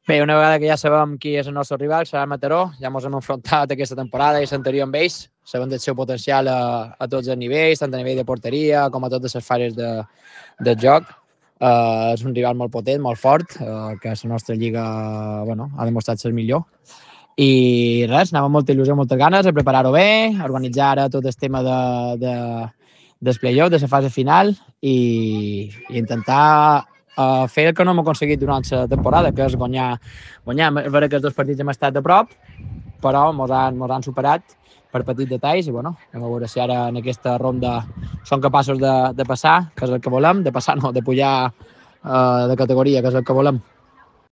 Bé, una vegada que ja sabem qui és el nostre rival, serà el Mataró. Ja ens hem enfrontat aquesta temporada i l'anterior amb ells. Sabem del seu potencial a tots els nivells, tant a nivell de porteria com a totes les fases del joc. És un rival molt potent, molt fort, que la nostra lliga ha demostrat ser millor. I res, anava amb molta il·lusió, moltes ganes a preparar-ho bé, a organitzar ara tot el tema del play-off, de la fase final i intentar fer el que no hem aconseguit durant la temporada, que és guanyar. És vera que els dos partits hem estat de prop, però mos han superat per petits detalls i anem a veure si ara en aquesta ronda són capaços de passar, que és el que volem, de passar no, de pujar de categoria, que és el que volem.